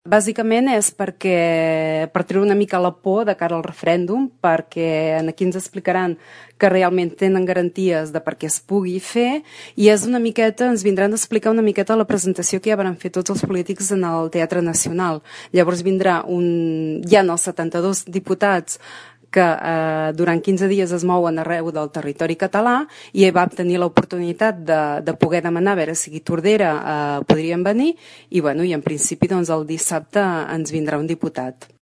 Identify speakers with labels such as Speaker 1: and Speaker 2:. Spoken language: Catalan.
Speaker 1: Bàsicament és per treure una mica la por de cara al referèndum, perquè aquí ens explicaran que realment tenen garanties de per què es pugui fer, i és una miqueta, ens vindran a explicar una miqueta la presentació que ja van fer tots els polítics en el Teatre Nacional. Llavors vindrà hi ha els 72 diputats que durant 15 dies es mouen arreu del territori català i va tenir l'oportunitat de poder demanar a veure si Tordera podrien venir i en principi el dissabte ens vindrà un diputat.